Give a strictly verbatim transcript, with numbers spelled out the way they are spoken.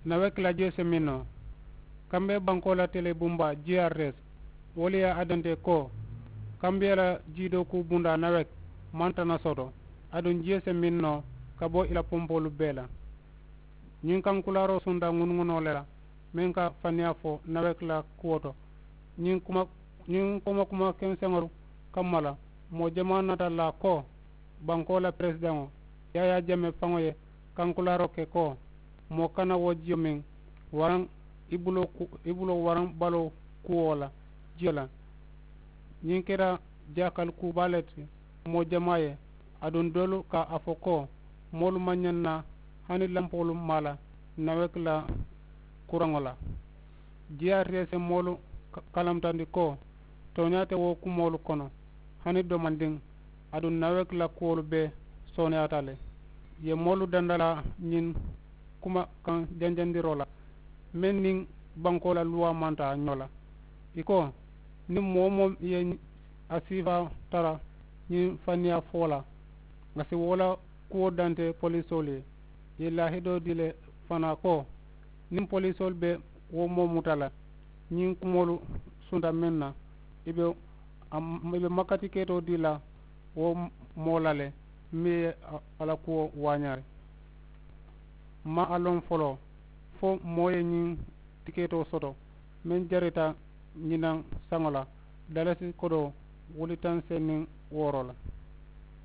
Nawek la jiyo se meŋ noo. Kambe bankoo la tele bumba g r s, wolu ye a dante ko, kambiya la jiidookuu bundaa nawek maŋ tana soto, aduŋ jiyo se meŋ noo ka bo i la pompoolu bee la. Ñiŋ kankulaaroo sunta ŋunuŋunoo le la meŋ ka faniyaa fo nawek la kuwo to. Ñiŋ kuma kuma kenseŋolu kamma la, moo jamaa naata la ko, bankoo la peresidaŋo yaayaa jame faŋo ye kankulaaroo ke ko, moo kana wo jiyo meŋ waraŋ i buloo waraŋ baloo kuwo la jiyo la. Ñiŋ keta jaakali kuu baa le ti moo jamaa ye. Aduŋ doolu ka a fo ko, moolu maŋ ñaŋ na hani lampoolu maa la nawek la kuraŋo la. G r s ye moolu kalamutandi ko, tooñaa te wo kumoolu kono hani domandiŋ. Aduŋ nawek la kuwolu bee sooneyaata le. Ye moolu dandalaa ñiŋ kuma kaŋ janjandiroo la meŋ niŋ bankoo la luwaa maŋ taa ñoo la. I ko, niŋ moo-wo-moo ye a siifaa tara ñiŋ faniyaa fo la, a si wo la kuwo dante poliisoolu ye. I ye laahidoo dii le fanaa ko, niŋ poliisoolu be wo moo muta la ñiŋ kumoolu sunta meŋ na, i be i be makkati keetoo dii la wo moo la le, meŋ ye a la kuwo waañaari. M̀ maŋ a loŋ foloo fo moo ye ñiŋ tikeetoo soto meŋ jarita ñinaŋ saŋo la dalasi kodoo wuli taŋ seeniŋ wooro la.